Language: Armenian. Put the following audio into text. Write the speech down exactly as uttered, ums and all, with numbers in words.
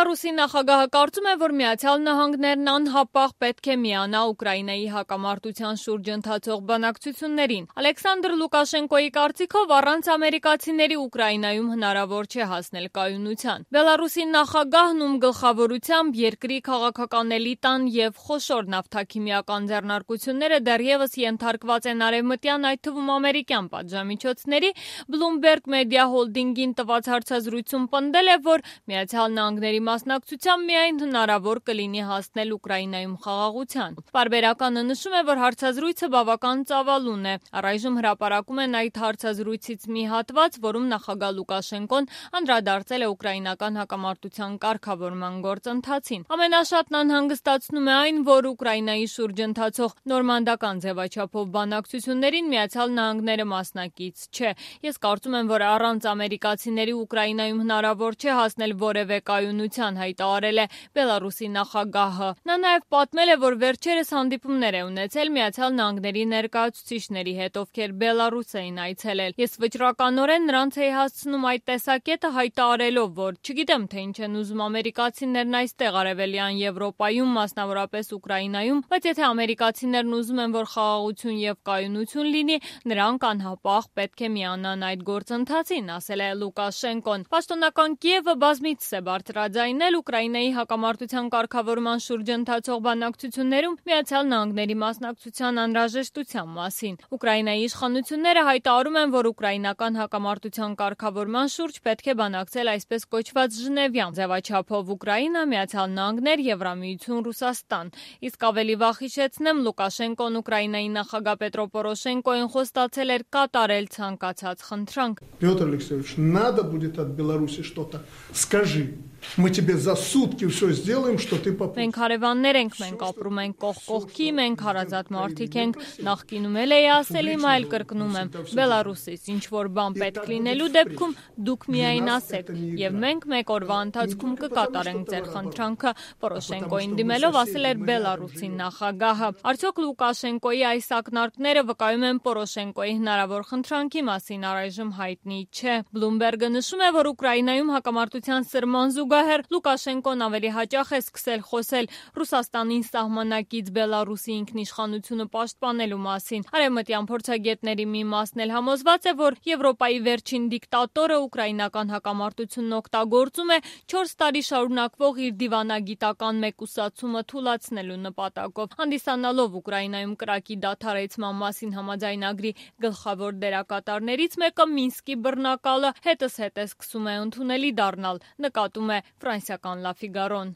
Բելարուսի նախագահը կարծում է, որ Միացյալ Նահանգներն անհապաղ պետք է միանա Ուկրաինայի հակամարտության շուրջ ընթացող բանակցություններին։ Ալեքսանդր Լուկաշենկոյի կարծիքով առանց ամերիկացիների Ուկրաինայում հնարավոր չէ հասնել կայունության։ Բելարուսի նախագահն, ում գլխավորությամբ երկրի քաղաքական էլիտան եւ խոշոր նավթաքիմիական ձեռնարկությունները դեռևս ենթարկված են արևմտյան, այդ թվում ամերիկյան պատժամիջոցների, Bloomberg Media Holding-ին տված հարցազրույցում պնդել է, որ Միացյալ Նահանգների մասնակցությամբ միայն հնարավոր կլինի հասնել Ուկրաինայում խաղաղության։ Պարբերականը նշում է, որ հարցազրույցը բավական ծավալուն է։ Առայժմ հրապարակում են այդ հարցազրույցից մի հատված, որում նախագահ Լուկաշենկոն անդրադարձել է ուկրաինական հակամարտության կարգավորման գործընթացին։ Ամենաշատն անհանգստացնում է այն, որ Ուկրաինայի շուրջ ընթացող նորմանդական ձևաչափով բանակցություններին Միացյալ Նահանգները մասնակից չէ։ Ես կարծում եմ, որ առանց ամերիկացիների Ուկրաինայում հնարավոր չէ հասնել որևէ կայունության, հայտարարել է Բելարուսի նախագահը։ Նա նաև պատմել է, որ վերջերս հանդիպումներ է ունեցել Միացյալ Նահանգների ներկայացուցիչների հետ, ովքեր Բելարուս էին այցելել։ Ես վճռականորեն նրանց էի հասցնում այդ տեսակետը, հայտարարելով, որ չգիտեմ, թե ինչ են ուզում ամերիկացիներն այստեղ Արևելյան Եվրոպայում, մասնավորապես Ուկրաինայում, բայց եթե ամերիկացիներն ուզում են, որ խաղաղություն եւ կայունություն լինի, նրանք անհապաղ պետք է միանան այդ գործընթացին, ասել է Լուկաշենկոն։ Պաշտոնական Կիևը բազմիցս է բարձրաձայնել Ուկրաինայի հակամարտության կարգավորման շուրջ ընթացող բանակցություններում Միացյալ Նահանգների մասնակցության անհրաժեշտության մասին։ Ուկրաինայի իշխանությունները հայտարարում են, որ ուկրաինական հակամարտության կարգավորման շուրջ պետք է բանակցել այսպես կոչված Ժնևյան ձևաչափով Ուկրաինա, Միացյալ Նահանգներ, Եվրամիություն, Ռուսաստան։ Իսկ ավելի վաղ հիշեցնեմ, Լուկաշենկոն Ուկրաինայի նախագահ Պետրո Պորոշենկոյին խոստացել էր կատարել ցանկացած խնդրանք։ Петр Алексеевич, надо будет от Беларуси что-то. Скажи, мы тебе за сутки все сделаем, что ты попробуешь. Մենք հարևաններ ենք, մենք ապրում ենք կողք կողքի, մենք հարազատ մարդիկ ենք, նախկինում էլ էի ասել, հիմա էլ կրկնում եմ, Բելարուսից ինչ որ բան պետք լինելու դեպքում դուք միայն ասեք, եւ մենք մեկ օրվա ընթացքում կկատարենք ձեր խնդրանքը, Պորոշենկոյին դիմելով ասել էր Բելարուսի նախագահը։ Արդյոք Լուկաշենկոյի այս ակնարկները վկայում են Պորոշենկոյի հնարավոր խնդրանքի մասին, առայժմ հայտնի չէ։ Bloomberg-ը նշում է, որ Ուկրաինայում հակամարտության սրման զուգահեռ Լուկաշենկոն ավելի հաճախ է սկսել խոսել Ռուսաստանին սահմանակից Բելարուսի ինքնիշխանությունը պաշտպանելու մասին։ Արևմտյան փորձագետների մի մասն էլ համոզված է, որ Եվրոպայի վերջին դիկտատորը ուկրաինական հակամարտությունն օգտագործում է չորս տարի շարունակվող իր դիվանագիտական մեկուսացումը թուլացնելու նպատակով։ Հանդիսանալով Ուկրաինայում կրակի դադարեցման մասին համաձայնագրի գլխավոր դերակատարներից մեկը Մինսկի բռնակալը հետզհետե սկսում է ընդունելի դառնալ, նկատում է ֆրանսիական Լա Ֆիգարոն։